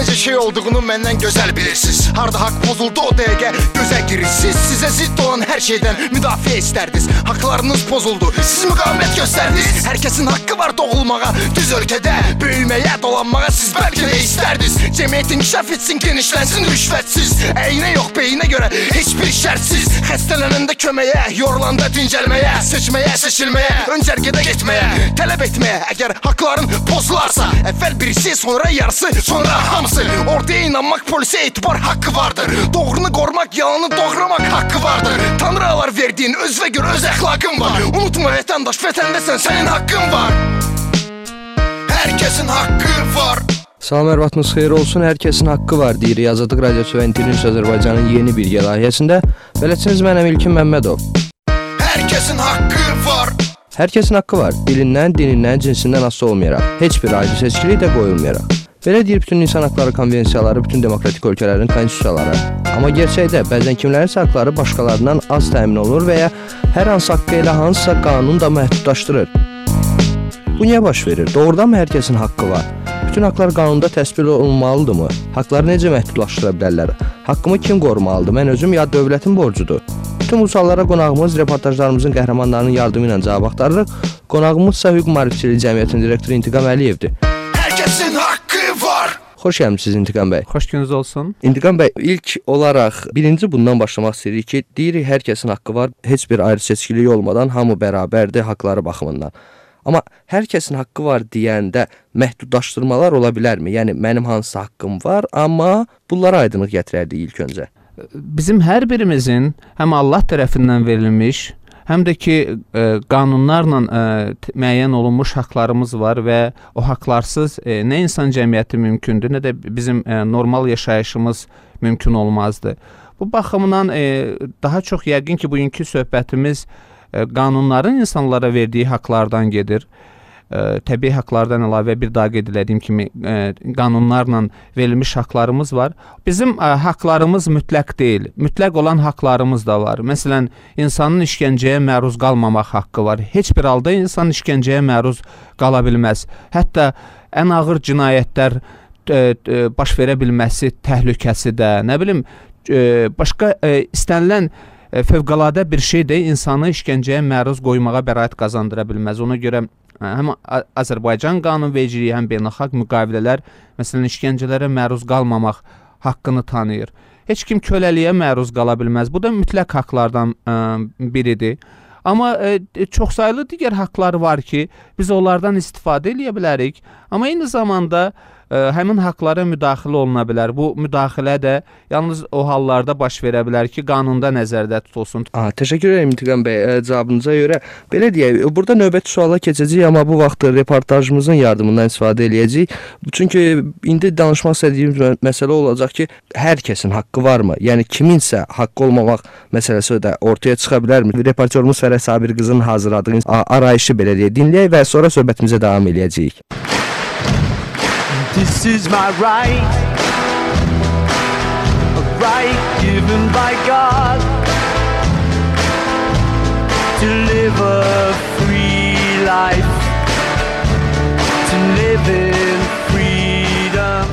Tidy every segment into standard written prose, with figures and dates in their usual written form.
necə şey olduğunu məndən gözəl bilirsiniz. Harda haqq pozuldu o dəqiqə gözə girirsiniz. Sizə zidd olan hər şeydən müdafiə istərdiniz. Haqlarınız pozuldu, siz müqavimət göstərdiniz. Hər kəsin haqqı var doğulmağa, düz ölkədə böyüməyə, dolanmağa siz bəlkə də istərdiniz. Cəmiyyət inkişaf etsin, genişlənsin rüşvətsiz. Əyinə yox beyinə görə heç bir şərtsiz. Xəstələnəndə köməyə, yorulanda dincəlməyə, seçməyə, seçilməyə, öncərgədə getməyə, tələb etməyə. Əgər haqların pozularsa, əvvəl birisi, sonra yarısı, sonra hamısı. Ortaya inanmaq, polisə etibar haqqı vardır. Doğrunu qorumaq, yalanı doğramaq haqqı vardır. Tanrılar verdiyin özünə görə öz əxlaqın var. Unutma vətəndaş, vətəndəsən, sənin haqqın var. Hər kəsin haqqı var. Salam, ərvatınız xeyir olsun. Hər kəsin haqqı var deyirik Azadlıq Radiosu və İnternews Azərbaycanın yeni bir layihəsində. Beləciniz mənəm İlkin Məmmədov. Hər kəsin haqqı var. Hər kəsin haqqı var. Dilindən, dinindən, cinsindən asılı olmayaraq. Heç bir ayrı seçkili də qoyulmayaraq. Belə deyir bütün insan haqları konvensiyaları, bütün demokratik ölkələrin konstitusiyaları. Amma gerçəkdə bəzən kimlərin haqları başqalarından az təmin olunur və ya hər hansı haqqı elə hansısa qanun da məhdudlaşdırır. Bu niyə baş verir? Doğrudanmı hər kəsin haqqı var? Bütün haqlar qanunda təsbit olunmalıdırmı? Haqları necə məhdudlaşdıra bilərlər? Haqqımı kim qorumalıdır? Mən özüm ya dövlətin borcudur? Bütün bu suallara qonağımız reportajlarımızın qəhrəmanlarının yardımı ilə cavab axtarırıq. Qonağımızsa Hüquq Maarifçiliyi Cəmiyyətinin direktoru İntiqam Əliyevdir. Hər kəsin haqqı var. Xoş gəlmisiniz İntiqam bəy. Xoş gününüz olsun. İntiqam bəy, ilk olaraq birinci bundan başlamaq istəyirik ki, deyirik hər kəsin haqqı var, heç bir ayrı seçkilik olmadan hamı bərabərdir haqları baxımından. Amma hər kəsin haqqı var deyəndə məhdudlaşdırmalar ola bilərmi? Yəni mənim hansı haqqım var, amma bunlara aydınlıq gətirərdik ilk öncə. Bizim hər birimizin həm Allah tərəfindən verilmiş, həm də ki qanunlarla müəyyən olunmuş haqlarımız var və o haqlarsız nə insan cəmiyyəti mümkündür, nə də bizim normal yaşayışımız mümkün olmazdı. Bu baxımdan daha çox yəqin ki bugünkü söhbətimiz qanunların insanlara verdiyi haqlardan gedir. Təbii haqlardan əlavə bir daha qeyd etdiyim kimi qanunlarla verilmiş haqlarımız var. Bizim haqlarımız mütləq deyil. Mütləq olan haqlarımız da var. Məsələn, insanın işgəncəyə məruz qalmamaq haqqı var. Heç bir halda insan işgəncəyə məruz qala bilməz. Hətta ən ağır cinayətlər baş verə bilməsi təhlükəsi də, nə bilim, başqa istənilən fövqəladə bir şey də insanı işgəncəyə məruz qoymağa bəraət qazandıra bilməz. Ona görə həm Azərbaycan qanunvericiliyi, həm beynəlxalq müqavilələr məsələn işgəncələrə məruz qalmamaq haqqını tanıyır. Heç kim köləliyə məruz qala bilməz. Bu da mütləq haqlardan biridir. Amma çoxsaylı digər haqlar var ki, biz onlardan istifadə edə bilərik. Amma eyni zamanda həmin haqlara müdaxilə oluna bilər. Bu müdaxilə də yalnız o hallarda baş verə bilər ki, qanunda nəzərdə tutulsun. Təşəkkür edirəm İntiqam bəy cavabınıza görə. Belə deyək, burada növbəti suala keçəcəyik, amma bu vaxt reportajımızın yardımından istifadə edəcəyik. Çünki indi danışmaq istədiyimiz məsələ olacaq ki, hər kəsin haqqı varmı? Yəni kiminsə haqqı olmamaq məsələsi də ortaya çıxa bilərmi? Reportyorumuz Fərəh Sabir qızının hazırladığı arayışı belə deyək, dinləyək və sonra söhbətimizə davam edəcəyik. This is my right, a right given by God, to live a free life, to live in freedom.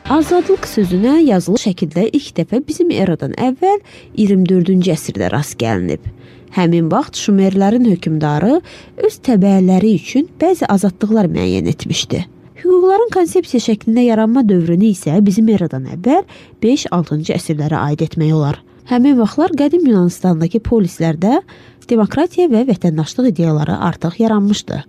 Azadlıq sözünə yazılı şəkildə ilk dəfə bizim eradan əvvəl 24-cü əsrdə rast gəlinib. Həmin vaxt Şumerlərin hökmdarı öz təbəələri üçün bəzi azadlıqlar müəyyən etmişdi. Hüquqların konsepsiya şəklində yaranma dövrünü isə bizim eradan əvvəl 5-6-cı əsrlərə aid etmək olar. Həmin vaxtlar qədim Yunanistandakı polislərdə demokratiya və vətəndaşlıq ideyaları artıq yaranmışdı.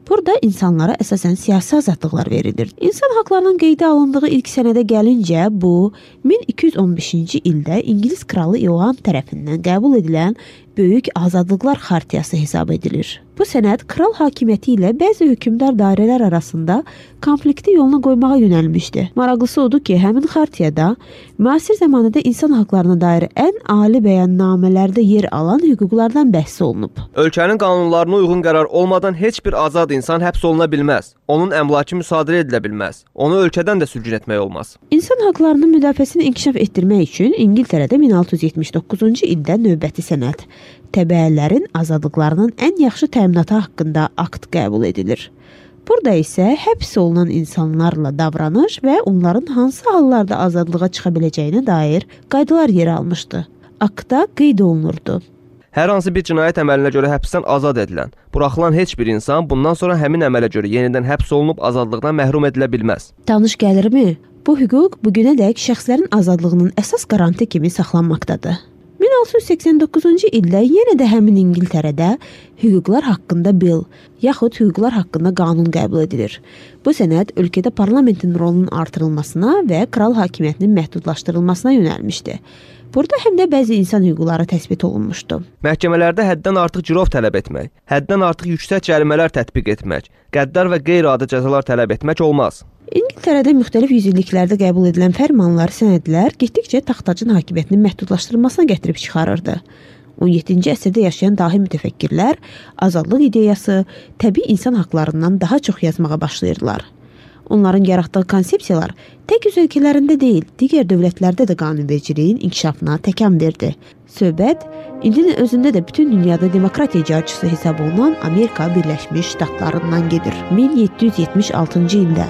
Burada insanlara əsasən siyasi azadlıqlar verilir. İnsan haqlarının qeydə alındığı ilk sənədə gəlincə, bu 1215-ci ildə İngilis kralı İoan tərəfindən qəbul edilən Böyük Azadlıqlar Xartiyası hesab edilir. Bu sənəd kral hakimiyyəti ilə bəzi hökmdar dairələr arasında konflikti yoluna qoymağa yönəlmişdi. Maraqlısı odur ki, həmin xartiyada müasir zamanədə insan haqlarına dair ən ali bəyannamələrdə yer alan hüquqlardan bəhs olunub. Ölkənin qanunlarına uyğun qərar olmadan heç bir azad insan həbs oluna bilməz. Onun əmlakı müsadirə edilə bilməz. Onu ölkədən də sürgün etmək olmaz. İnsan haqlarının müdafiəsini inkişaf etdirmək üçün İngiltərədə 1679-cu ildə növbəti sənəd təbəələrin azadlıqlarının ən yaxşı təminatı haqqında akt qəbul edilir. Burada isə həbs olunan insanlarla davranış və onların hansı hallarda azadlığa çıxa biləcəyinə dair qaydalar yer almışdı. Aktda qeyd olunurdu. Hər hansı bir cinayət əməlinə görə həbsdən azad edilən, buraxılan heç bir insan bundan sonra həmin əmələ görə yenidən həbs olunub azadlıqdan məhrum edilə bilməz. Tanış gəlirmi? Bu hüquq bugünədək şəxslərin azadlığının əsas qarantı kimi saxlanmaqdadır. 1689-cu ildə yenə də həmin İngiltərədə hüquqlar haqqında bill, yaxud hüquqlar haqqında qanun qəbul edilir. Bu sənəd ölkədə parlamentin rolunun artırılmasına və kral hakimiyyətinin məhdudlaşdırılmasına yönəlmişdi. Burada həm də bəzi insan hüquqları təsbit olunmuşdu. Məhkəmələrdə həddən artıq girov tələb etmək, həddən artıq yüksək cərimələr tətbiq etmək, qəddar və qeyri-adi cəzalar tələb etmək olmaz. İngiltərədə müxtəlif yüzilliklərdə qəbul edilən fərmanlar, sənədlər getdikcə taxtacın hakimiyyətinin məhdudlaşdırılmasına gətirib çıxarırdı. 17-ci əsrdə yaşayan dahi mütəfəkkirlər azadlıq ideyası, təbii insan haqlarından daha çox yazmağa başlayırdılar. Onların yaratdığı konsepsiyalar tək öz ölkələrində deyil, digər dövlətlərdə də qanunvericiliyin inkişafına təkan verdi. Söhbət indinin özündə də bütün dünyada demokratiya icarəçisi hesab olunan Amerika Birləşmiş Ştatlarından gedir. 1776-cı ildə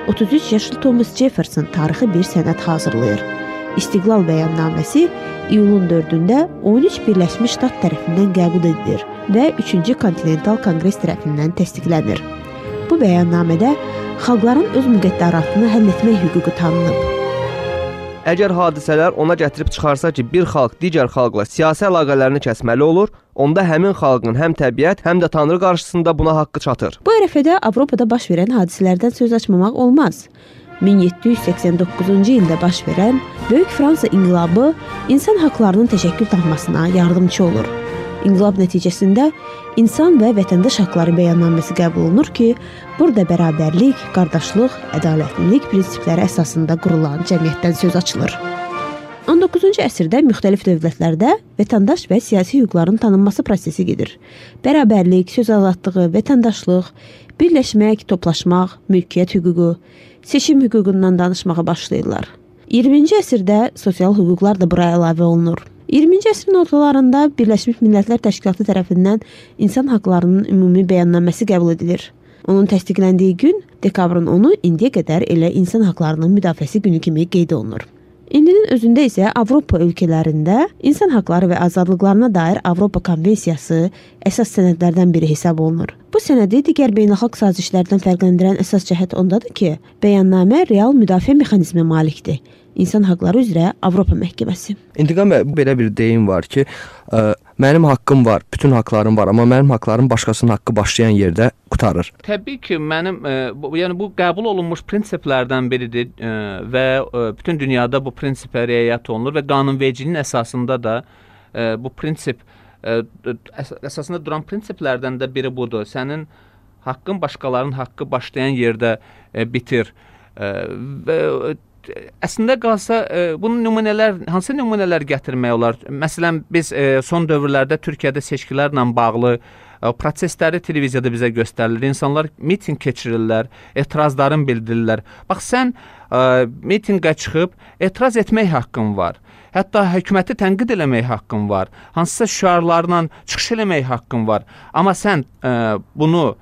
33 yaşlı Thomas Jefferson tarixi bir sənəd hazırlayır. İstiqlal bəyannaməsi iyulun 4-də 13 Birləşmiş Ştat tərəfindən qəbul edilir və 3-cü Kontinental Konqres tərəfindən təsdiqlənir. Bu bəyannamədə xalqların öz müqəddəratını həll etmək hüququ tanınıb. Əgər hadisələr ona gətirib çıxarsa ki, bir xalq digər xalqla siyasi əlaqələrini kəsməli olur, onda həmin xalqın həm təbiət, həm də Tanrı qarşısında buna haqqı çatır. Bu ərəfədə Avropada baş verən hadisələrdən söz açmamaq olmaz. 1789-cu ildə baş verən Böyük Fransa inqilabı insan haqlarının təşəkkül tapmasına yardımçı olur. İnqilab nəticəsində insan və vətəndaş haqları bəyannaməsi qəbul olunur ki, burada bərabərlik, qardaşlıq, ədalətlilik prinsipləri əsasında qurulan cəmiyyətdən söz açılır. 19-cu əsrdə müxtəlif dövlətlərdə vətəndaş və siyasi hüquqların tanınması prosesi gedir. Bərabərlik, söz azadlığı, vətəndaşlıq, birləşmək, toplaşmaq, mülkiyyət hüququ, seçim hüququndan danışmağa başlayırlar. 20-ci əsrdə sosial hüquqlar da bura əlavə olunur. 20-ci əsrin ortalarında Birləşmiş Millətlər Təşkilatı tərəfindən insan haqlarının ümumi bəyannaməsi qəbul edilir. Onun təsdiqləndiyi gün dekabrın 10-u indiyə qədər elə insan haqlarının müdafiəsi günü kimi qeyd olunur. İndinin özündə isə Avropa ölkələrində insan haqları və azadlıqlarına dair Avropa Konvensiyası əsas sənədlərdən biri hesab olunur. Bu sənədi digər beynəlxalq sazişlərdən fərqləndirən əsas cəhət ondadır ki, bəyannamə real müdafiə mexanizminə malikdir. İnsan haqları üzrə Avropa məhkəməsi. İntiqam bəy, belə bir deyim var ki, mənim haqqım var, bütün haqlarım var, amma mənim haqlarım başqasının haqqı başlayan yerdə qutarır. Təbii ki, mənim yəni bu qəbul olunmuş prinsiplərdən biridir və bütün dünyada bu prinsipə riayət olunur və qanunvericiliyin əsasında da bu prinsip əsasında duran prinsiplərdən də biri budur. Sənin haqqın başqalarının haqqı başlayan yerdə bitir və əslində qalsa bunun hansı nümunələr gətirmək olar? Məsələn, biz son dövrlərdə Türkiyədə seçkilərlə bağlı prosesləri televiziyada bizə göstərilir. İnsanlar mitinq keçirirlər, etirazlarını bildirirlər. Bax, sən mitinqə çıxıb etiraz etmək haqqın var. Hətta hökuməti tənqid eləmək haqqın var. Hansısa şüarlarla çıxış eləmək haqqın var. Amma sən bunu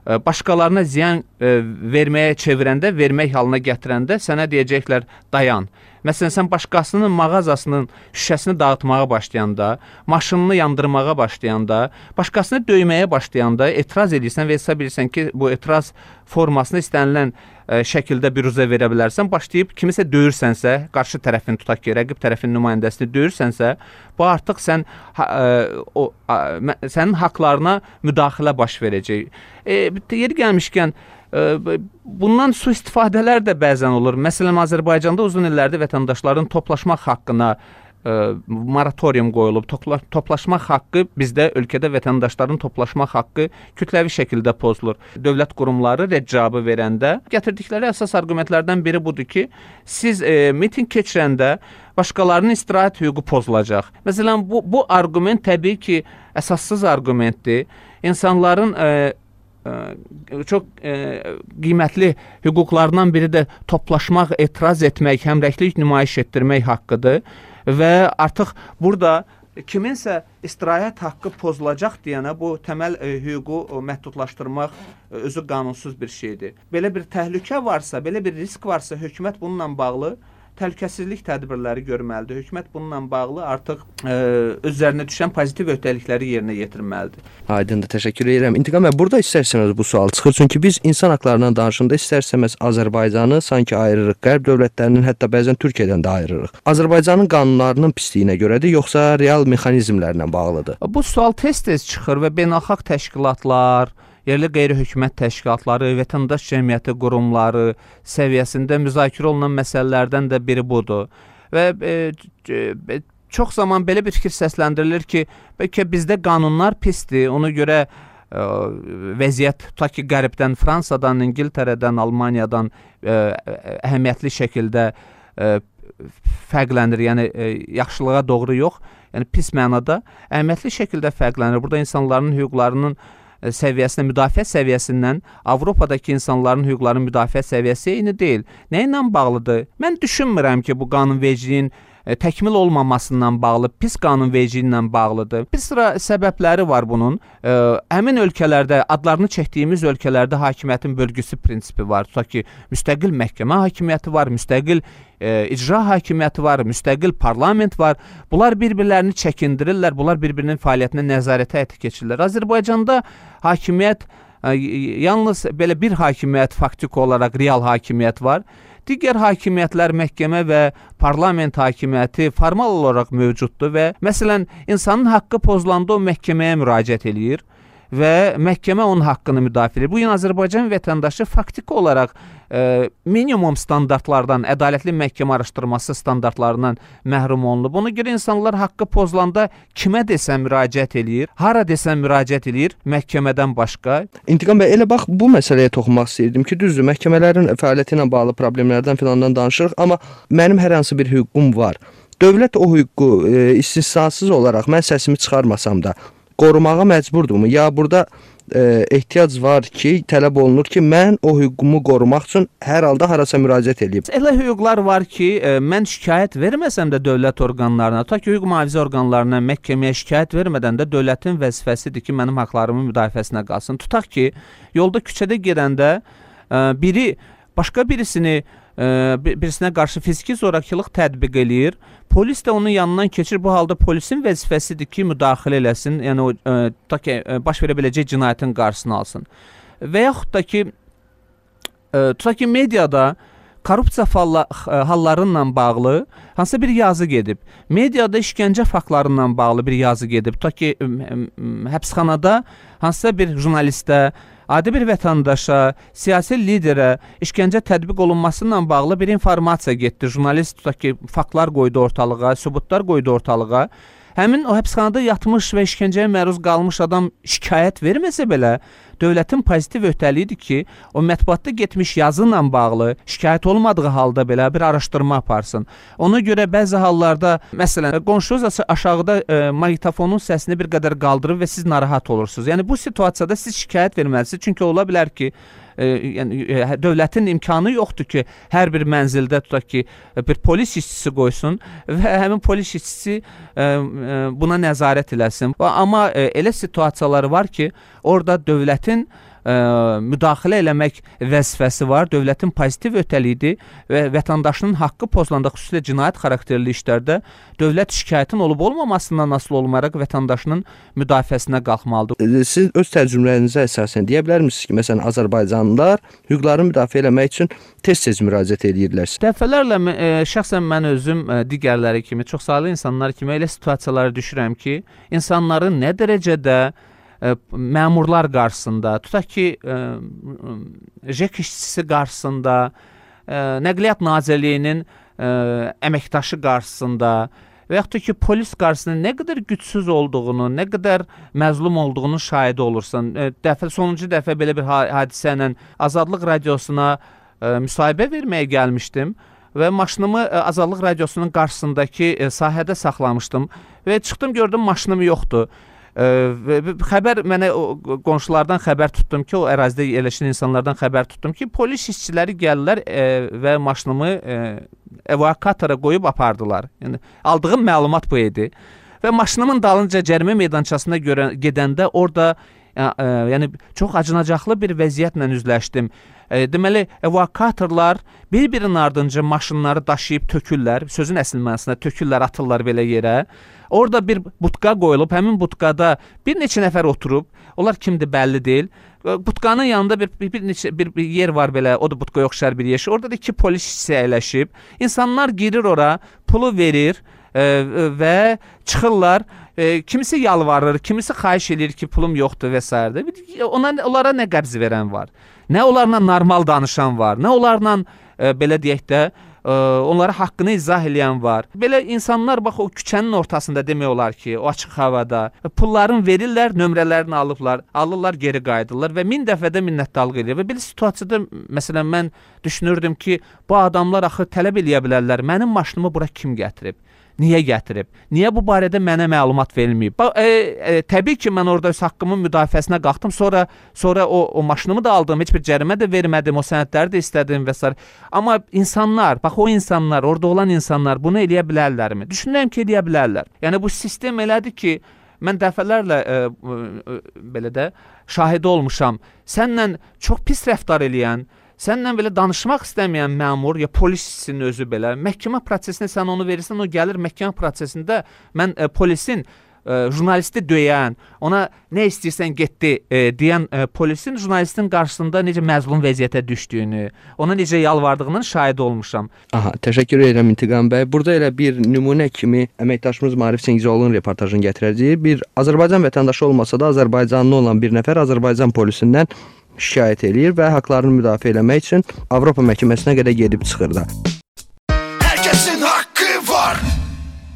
başqalarına ziyan verməyə çevirəndə, vermək halına gətirəndə sənə deyəcəklər dayan. Məsələn, sən başqasının mağazasının şüşəsini dağıtmağa başlayanda, maşınını yandırmağa başlayanda, başqasını döyməyə başlayanda etiraz edirsən və hesab edirsən ki, bu etiraz formasını istənilən şəkildə büruzə verə bilərsən, başlayıb kimisə döyürsənsə, qarşı tərəfin tutaq ki, rəqib tərəfin nümayəndəsini döyürsənsə, bu artıq sənin haqlarına müdaxilə baş verəcək. Yeri gəlmişkən, bundan sui-istifadələr də bəzən olur. Məsələn, Azərbaycanda uzun illərdir vətəndaşların toplaşmaq haqqına moratorium qoyulub. Toplaşmaq haqqı bizdə ölkədə vətəndaşların toplaşmaq haqqı kütləvi şəkildə pozulur. Dövlət qurumları rəccabı verəndə gətirdikləri əsas arqumentlərdən biri budur ki, siz miting keçirəndə başqalarının istirahət hüququ pozulacaq. Məsələn, bu arqument təbii ki, əsassız arqumentdir. İnsanların çox qiymətli hüquqlarından biri də toplaşmaq, etiraz etmək, həmrəklik nümayiş etdirmək haqqıdır və artıq burada kiminsə istirahət haqqı pozulacaq deyənə bu təməl hüququ məhdudlaşdırmaq özü qanunsuz bir şeydir. Belə bir təhlükə varsa, belə bir risk varsa, hökumət bununla bağlı təhlükəsizlik tədbirləri görməlidir. Hökumət bununla bağlı artıq özlərinə düşən pozitiv öhdəlikləri yerinə yetirməlidir. Aydındır, təşəkkür edirəm. İntiqam bəy, burada istərsəniz bu sual çıxır. Çünki biz insan haqlarından danışanda istərsəməz Azərbaycanı sanki ayırırıq. Qərb dövlətlərinin, hətta bəzən Türkiyədən də ayırırıq. Azərbaycanın qanunlarının pisliyinə görədir, yoxsa real mexanizmlərlə bağlıdır? Bu sual tez-tez çıxır və beynəlxalq təşkilatlar, yerli qeyri-hökumət təşkilatları, vətəndaş cəmiyyəti qurumları səviyyəsində müzakirə olunan məsələlərdən də biri budur. Və çox zaman belə bir fikir səsləndirilir ki, bəlkə bizdə qanunlar pisdir, ona görə vəziyyət tutaq ki, Qərbdən, Fransadan, İngiltərədən, Almaniyadan əhəmiyyətli şəkildə fərqlənir. Yəni yaxşılığa doğru yox, yəni pis mənada əhəmiyyətli şəkildə fərqlənir. Burada insanların hüquqlarının səviyyəsinə, müdafiə səviyyəsindən Avropadakı insanların hüquqlarının müdafiə səviyyəsi eyni deyil. Nə ilə bağlıdır? Mən düşünmürəm ki, bu qanunvericiliyin təkmil olmamasından bağlı, pis qanunvericiliyi ilə bağlıdır. Bir sıra səbəbləri var bunun. Həmin ölkələrdə, adlarını çəkdiyimiz ölkələrdə hakimiyyətin bölgüsü prinsipi var. Tutaq ki, müstəqil məhkəmə hakimiyyəti var, müstəqil icra hakimiyyəti var, müstəqil parlament var. Bunlar bir-birlərini çəkindirirlər, bunlar bir-birinin fəaliyyətinə nəzarətə həyata keçirirlər. Azərbaycanda hakimiyyət yalnız belə bir hakimiyyət faktiki olaraq real hakimiyyət var. Digər hakimiyyətlər, məhkəmə və parlament hakimiyyəti formal olaraq mövcuddur və məsələn, insanın haqqı pozulanda o məhkəməyə müraciət eləyir və məhkəmə onun haqqını müdafiə edir. Bu gün Azərbaycan vətəndaşı faktiki olaraq minimum standartlardan, ədalətli məhkəmə araşdırması standartlarından məhrum olunub. Ona görə insanlar haqqı pozulanda kimə desən müraciət eləyir, hara desən müraciət eləyir məhkəmədən başqa. İntiqam bəy, elə bax bu məsələyə toxunmaq istəyirdim ki, düzdür, məhkəmələrin fəaliyyəti ilə bağlı problemlərdən filandan danışırıq, amma mənim hər hansı bir hüququm var. Dövlət o hüququ istisnasız olaraq mən səsimi çıxarmasam da qorumağa məcburdurmu? Ya burada ehtiyac var ki, tələb olunur ki, mən o hüququmu qorumaq üçün hər halda harasa müraciət edeyim. Elə hüquqlar var ki, mən şikayət verməsəm də dövlət orqanlarına, tutaq ki, hüquq mühafizə orqanlarına, məhkəməyə şikayət vermədən də dövlətin vəzifəsidir ki, mənim haqlarımın müdafiəsinə qalsın. Tutaq ki, yolda küçədə gedəndə biri başqa birisinə qarşı fiziki zorakılıq tətbiq eləyir. Polis də onun yanından keçir. Bu halda polisin vəzifəsidir ki, müdaxilə eləsin. Yəni o tutaq ki, baş verə biləcək cinayətin qarşısını alsın. Və yaxud da ki, tutaq ki, mediada korrupsiya hallarıyla bağlı hansısa bir yazı gedib. Mediada işgəncə faktlarıyla bağlı bir yazı gedib. Tutaq ki, həbsxanada hansısa bir jurnalistə, adi bir vətəndaşa, siyasi liderə işgəncə tətbiq olunması ilə bağlı bir informasiya getdi. Jurnalist tutaq ki, faktlar qoydu ortalığa, sübutlar qoydu ortalığa. Həmin o həbsxanada yatmış və işgəncəyə məruz qalmış adam şikayət verməsə belə, dövlətin pozitiv öhdəliyidir ki, o mətbuatda getmiş yazı ilə bağlı şikayət olmadığı halda belə bir araşdırma aparsın. Ona görə bəzi hallarda, məsələn, qonşunuz aşağıda maqnitofonun səsini bir qədər qaldırır və siz narahat olursunuz. Yəni bu situasiyada siz şikayət verməlisiniz. Çünki ola bilər ki, yəni dövlətin imkanı yoxdur ki, hər bir mənzildə tutaq ki, bir polis işçisi qoysun və həmin polis işçisi buna nəzarət eləsin. Amma elə situasiyalar var ki, orada dövlətin müdaxilə eləmək vəzifəsi var, dövlətin pozitiv öhdəliyidir və vətəndaşının haqqı pozulanda, xüsusilə cinayət xarakterli işlərdə dövlət şikayətin olub-olmamasından asılı olmayaraq vətəndaşının müdafiəsinə qalxmalıdır. Siz öz təcrübələrinizə əsasən deyə bilərmisiniz ki, məsələn, Azərbaycanlılar hüquqlarını müdafiə eləmək üçün tez-tez müraciət edirlər. Dəfələrlə şəxsən mən özüm digərləri kimi, çox saylı insanlar kimi elə situasiyalara düşürəm ki, insanların nə dərəcədə məmurlar qarşısında, tutaq ki, JEK işçisi qarşısında, Nəqliyyat Nazirliyinin əməkdaşı qarşısında və yaxud da ki, polis qarşısında nə qədər gücsüz olduğunu, nə qədər məzlum olduğunu şahidi olursan. Sonuncu dəfə belə bir hadisə ilə Azadlıq Radiosuna müsahibə verməyə gəlmişdim və maşınımı Azadlıq Radiosunun qarşısındakı sahədə saxlamışdım və çıxdım, gördüm maşınım yoxdur. Xəbər mənə qonşulardan xəbər tutdum ki, o ərazidə yerləşən insanlardan xəbər tutdum ki, polis işçiləri gəlirlər və maşınımı evakuatora qoyub apardılar. Yəni aldığım məlumat bu idi. və maşınımın dalınca cərimə meydançasına gedəndə orada yəni çox acınacaqlı bir vəziyyətlə üzləşdim. Deməli, evakuatorlar bir-birinin ardınca maşınları daşıyıb tökürlər, sözün əsl mənasında tökürlər, atırlar belə yerə. Orada bir butka qoyulub, həmin butkada bir neçə nəfər oturub, onlar kimdir bəlli deyil. Butkanın yanında bir yer var belə, o da butkaya oxşar bir yer. Orada da 2 polis əyləşib. İnsanlar girir ora, pulu verir və çıxırlar. Kimisi yalvarır, kimisi xahiş edir ki, pulum yoxdur və s. Onlara nə qəbz verən var, nə onlarla normal danışan var, nə onlarla belə deyək də onlara haqqını izah eləyən var. Belə insanlar bax o küçənin ortasında demək olar ki, o açıq havada pullarını verirlər, nömrələrini alırlar, geri qayıdırlar və 1000 dəfə də minnətdarlıq edir. Və belə situasiyada məsələn mən düşünürdüm ki, bu adamlar axı tələb eləyə bilərlər, mənim maşınımı bura kim gətirib? Niyə gətirib? Niyə bu barədə mənə məlumat verilməyib? Təbii ki, mən orada öz haqqımın müdafiəsinə qalxdım. Sonra o maşınımı da aldım, heç bir cərimə də vermədim, o sənədləri də istədim və s. Amma insanlar, bax o insanlar, orada olan insanlar bunu eləyə bilərlərmi? Düşünürəm ki, eləyə bilərlər. Yəni bu sistem elədir ki, mən dəfələrlə belə də şahidi olmuşam. Sənlə çox pis rəftar eləyən, səndən belə danışmaq istəməyən məmur, ya polisin özü belə, məhkəmə prosesində sən onu verirsən, o gəlir məhkəmə prosesində mən polisin jurnalisti döyən, ona nə istəyirsən getdi deyən polisin jurnalistin qarşısında necə məzlum vəziyyətə düşdüyünü, ona necə yalvardığının şahidi olmuşam. Aha, təşəkkür edirəm İntiqam bəy. Burada elə bir nümunə kimi əməkdaşımız Maarif Çingizoğlu'nun reportajını gətirəcəyik. Bir Azərbaycan vətəndaşı olmasa da Azərbaycanlı olan bir nəfər Azərbaycan polisindən şikayət eləyir və haqlarını müdafiə eləmək üçün Avropa məhkəməsinə qədər gedib çıxır da. Hər kəsin haqqı var.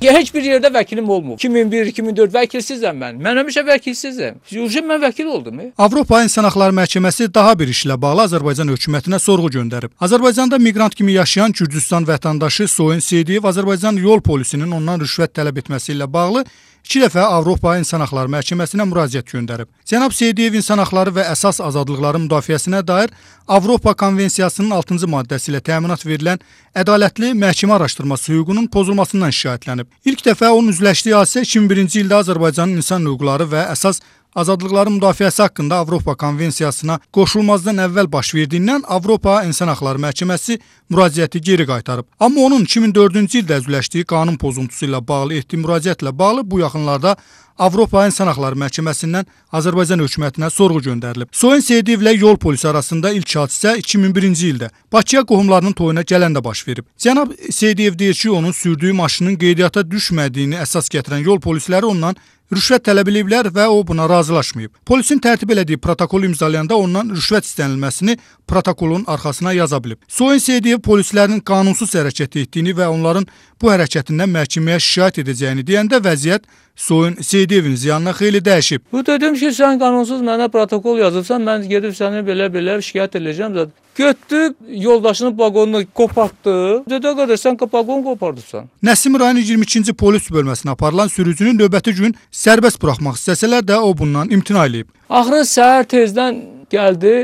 Heç bir yerdə vəkilim olmur. 2001-2004 vəkilsizəm mən. Mən həmişə vəkilsizəm. Mən vəkil oldum. Avropa İnsan Haqları Məhkəməsi daha bir işlə bağlı Azərbaycan hökumətinə sorğu göndərib. Azərbaycanda miqrant kimi yaşayan Gürcüstan vətəndaşı Soyun Seydiyev Azərbaycan yol polisinin ondan rüşvət tələb etməsi ilə bağlı 2 dəfə Avropa İnsan Haqları Məhkəməsinə müraciət göndərib. Cənab Seydiyev insan haqları və əsas azadlıqların müdafiəsinə dair Avropa Konvensiyasının 6-cı maddəsi ilə təminat verilən ədalətli məhkəmə araşdırması hüququnun pozulmasından şikayətlənib. İlk dəfə onun üzləşdiyi hadisə 2001-ci ildə Azərbaycanın insan hüquqları və əsas azadlıqların müdafiəsi haqqında Avropa Konvensiyasına qoşulmazdan əvvəl baş verdiyindən Avropa İnsan Haqları Məhkəməsi müraciəti geri qaytarıb. Amma onun 2004-cü ildə üzləşdiyi qanun pozuntusu ilə bağlı etdiyi müraciətlə bağlı bu yaxınlarda Avropa İnsan Haqları Məhkəməsindən Azərbaycan hökumətinə sorğu göndərilib. Soyun Seyidiyevlə yol polisi arasında ilk hadisə 2001-ci ildə Bakıya qohumlarının toyuna gələndə baş verib. Cənab Seydiyev deyir ki, onun sürdüyü maşının qeydiyyata düşmədiyini əsas gətirən yol polisləri ondan rüşvət tələb ediblər və o buna razılaşmayıb. Polisin tərtib elədiyi protokolu imzalayanda ondan rüşvət istənilməsini protokolun arxasına yaza bilib. Soyun Seydiyev polislərin qanunsuz hərəkət etdiyini və onların bu hərəkətindən məhkəməyə şikayət edəcəyini deyəndə vəziyyət Soyun Seydiyevin ziyanına xeyli dəyişib. Bu dedim ki, sən qanunsuz mənə protokol yazırsan, mən gedib səni belə şikayət edəcəm zaten. Götdü, yoldaşının vaqonunu qopartdı. Dedi, qədər sən vaqonu qopardısan. Nəsim rayonu 22-ci polis bölməsinə aparılan sürücünü növbəti gün sərbəst buraxmaq istəsələr də o bundan imtina edib. Axırı səhər tezdən gəldi,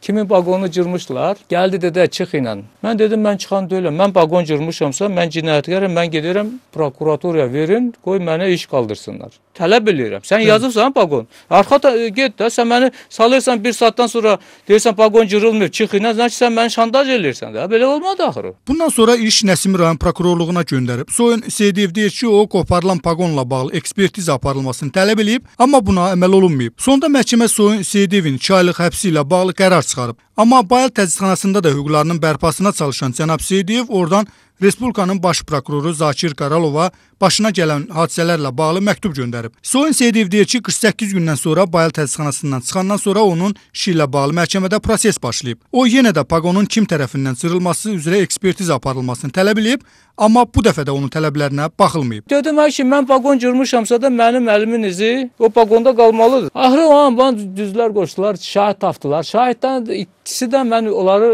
kimin vaqonunu cırmışlar. Gəldi dedi, çıx ilə. Mən dedim, mən çıxan deyiləm. Mən vaqon cırmışamsa, mən cinayətkarım, mən gedirəm prokuratoraya verin, qoy mənə iş qaldırsınlar. Tələb edirəm. Sən yazıbsan vaqon. Arxa get də, sən məni salırsan bir saatdan sonra deyirsən vaqon cırılmır, çıx ilə, sən məni şantaj edirsən də. Belə olmadı axırı. Bundan sonra iş Nəsim rayon prokurorluğuna göndərib. Soyun Seydiyev deyir ki, o qoparılan vaqonla bağlı ekspertiza aparılmasını tələb edib, amma buna əməl olunmayıb. Sonda məhkəmə Soyun Seydiyevin 2 aylıq həbsi ilə bağlı qərar çıxarıb. Amma Bayal Təcridxanasında da hüquqlarının bərpasına çalışan cənab Seydiyev oradan Respublikanın baş prokuroru Zakir Qaralova başına gələn hadisələrlə bağlı məktub göndərib. Soyun Seydiyev deyir ki, 48 gündən sonra Bayal Təcridxanasından çıxandan sonra onun işi ilə bağlı məhkəmədə proses başlayıb. O yenə də vaqonun kim tərəfindən cırılması üzrə ekspertiza aparılmasını tələb edib, amma bu dəfə də onun tələblərinə baxılmayıb. Dedim ki, mən vaqon cırmışamsa da mənim əlimin izi o vaqonda qalmalıdır. Axırı o an bana düzlər qoşdular, şahid tapdılar. Şahiddən ikisi də mən onları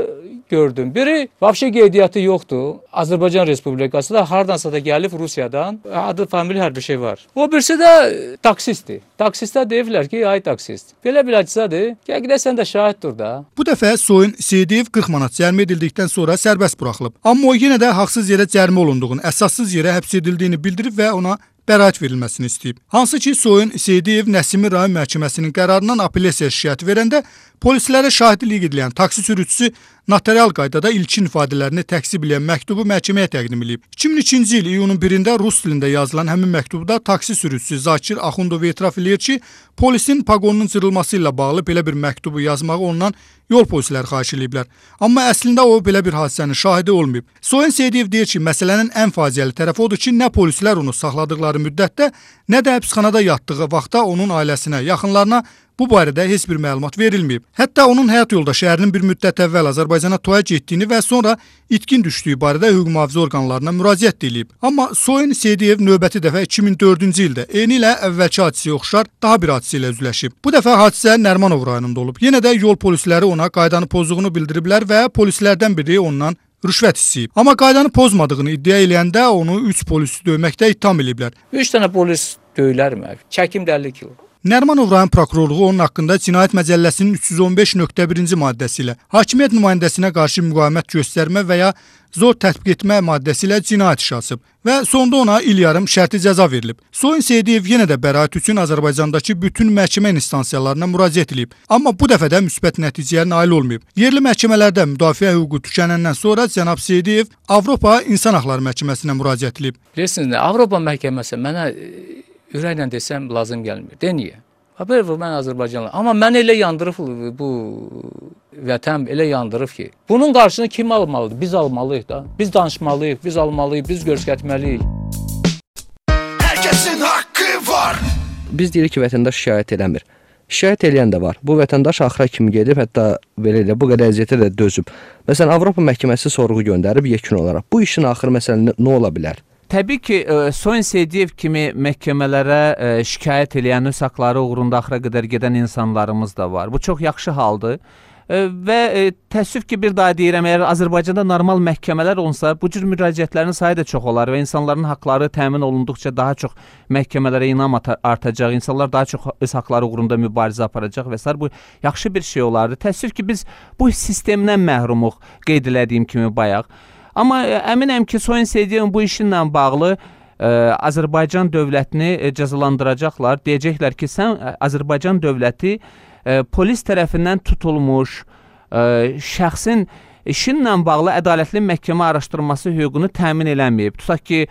gördüm. Biri vəbşə qeydiyyatı yoxdur. Azərbaycan Respublikası da hardansa da gəlib Rusiyadan. Adı, famili hər bir şey var. O birisi də taksistdir. Taksistə deyirlər ki, ay taksist. Belə biləcədir. Gəl sən də şahiddir da. Bu dəfə Soyun Seydiyev 40 manat cərimə edildikdən sonra sərbəst buraxılıb. Amma o yenə də haqsız yerə cərimə olunduğunu, əsassız yerə həbs edildiyini bildirib və ona bəraət verilməsini istəyib. Hansı ki, Soyun Seydiyev Nəsimi rayon məhkəməsinin qərarından apellyasiya şikayəti verəndə polislərə şahidlik edilən taksi sürücüsü notarial qaydada ilkin ifadələrini təksib edən məktubu məhkəməyə təqdim edib. 2002-ci il iyunun 1-də rus dilində yazılan həmin məktubda taksi sürücüsü Zakir Axundov etiraf edir ki, polisin paqonunun cırılması ilə bağlı belə bir məktubu yazmağı ondan yol polisləri xahiş ediblər. Amma əslində o belə bir hadisənin şahidi olmayıb. Soyun Seydiyev deyir ki, məsələnin ən faciəli tərəfi odur ki, nə polislər onu saxladıqları müddətdə, nə də həbsxanada yatdığı vaxtda onun ailəsinə, yaxınlarına bu barədə heç bir məlumat verilməyib. Hətta onun həyat yoldaşı ərinin bir müddət əvvəl Azərbaycana toya getdiyini və sonra itkin düşdüyü barədə hüquq mühafizə orqanlarına müraciət edilib. Amma Soyun Seydiyev növbəti dəfə 2004-cü ildə eyni ilə əvvəlki hadisəyə oxşar daha bir hadisə ilə üzləşib. Bu dəfə hadisə Nərmanov rayonunda olub. Yenə də yol polisləri ona qaydanı pozduğunu bildiriblər və polislərdən biri ondan rüşvət istəyib. Amma qaydanı pozmadığını iddia eləyəndə onu 3 polisi döyməkdə ittiham ediblər. 3 dənə polis döyülər mə? Çəkim də 50 kilo. Nərmanov rayon prokurorluğu onun haqqında Cinayət Məcəlləsinin 315.1-ci maddəsi ilə hakimiyyət nümayəndəsinə qarşı müqavimət göstərmə və ya zor tətbiq etmə maddəsi ilə cinayət işi açıb və sonda ona il yarım şərti cəza verilib. Soyun Seydiyev yenə də bəraət üçün Azərbaycandakı bütün məhkəmə instansiyalarına müraciət edib, amma bu dəfə də müsbət nəticəyə nail olmayıb. Yerli məhkəmələrdə müdafiə hüququ tükənəndən sonra cənab Seydiyev Avropa İnsan Haqları Məhkəməsinə müraciət edib. Bilirsiniz nə? Avropa məhkəməsi mənə ürəklə desəm lazım gəlmir. De niyə? Haber bu mən Azərbaycanlı. Amma mən elə yandırıb bu vətən elə yandırıb ki, bunun qarşısını kim almalıdır? Biz almalıyıq da. Biz danışmalıyıq, biz almalıyıq, biz göstərməliyik. Hər kəsin haqqı var. Biz deyirik ki, vətəndaş şikayət eləmir. Şikayət eləyən də var. Bu vətəndaş axıra kimi gedib, hətta belə elə bu qədər əziyyətə də dözüb. Məsələn, Avropa məhkəməsi sorğu göndərib yekun olaraq. Bu işin axırı məsələn nə ola bilər? Təbii ki, Soyun Seydiyev kimi məhkəmələrə şikayət eləyən öz haqları uğrunda axıra qədər gedən insanlarımız da var. Bu çox yaxşı haldır. Və təəssüf ki, bir daha deyirəm, əgər Azərbaycanda normal məhkəmələr olsa, bu cür müraciətlərin sayı da çox olar və insanların haqları təmin olunduqca daha çox məhkəmələrə inam artacaq, insanlar daha çox öz haqları uğrunda mübarizə aparacaq və s. Bu yaxşı bir şey olardı. Təəssüf ki, biz bu sistemdən məhrumuq, qeyd elədiyim kimi bayaq. Amma əminəm ki, Soyun Seydiyevin bu işinlə bağlı Azərbaycan dövlətini cəzalandıracaqlar. Deyəcəklər ki, sən Azərbaycan dövləti polis tərəfindən tutulmuş şəxsin işinlə bağlı ədalətli məhkəmə araşdırması hüququnu təmin eləməyib. Tutaq ki,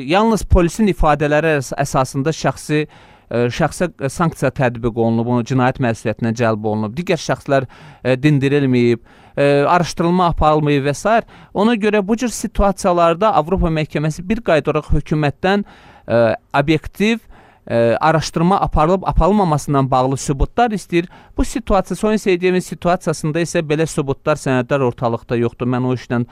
yalnız polisin ifadələri əsasında şəxsə sanksiya tətbiq olunub, onu cinayət məsuliyyətinə cəlb olunub, digər şəxslər dindirilməyib, araşdırılma aparılmayıb və s. Ona görə bu cür situasiyalarda Avropa məhkəməsi bir qayda olaraq hökumətdən obyektiv araşdırma aparılmamasından bağlı sübutlar istəyir. Bu situasiya, Soyun Seydiyevin situasiyasında isə belə sübutlar, sənədlər ortalıqda yoxdur. Mən o işlə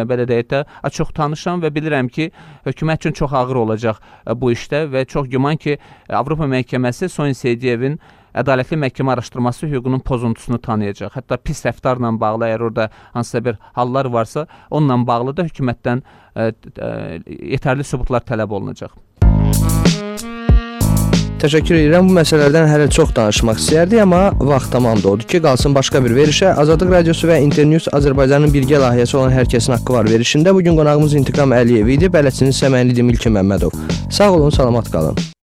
belə deyək də çox tanışam və bilirəm ki, hökumət üçün çox ağır olacaq bu işdə və çox güman ki, Avropa məhkəməsi Soyun Seydiyevin ədalətli məhkəmə araşdırması hüququnun pozuntusunu tanıyacaq. Hətta pis rəftarla bağlı, əgər orada hansısa bir hallar varsa, onunla bağlı da hökumətdən yetərli sübutlar tələb olunacaq. Təşəkkür edirəm. Bu məsələlərdən hələ çox danışmaq istəyərdik, amma vaxt tamamdır. Odur ki, qalsın başqa bir verişə. Azadlıq Radiosu və Internews Azərbaycanın birgə layihəsi olan Hər kəsin haqqı var verişində bugün qonağımız İntiqam Əliyev idi. Bələdçiniz isə mən idim İlkin Məmmədov. Sağ olun, salamat qalın.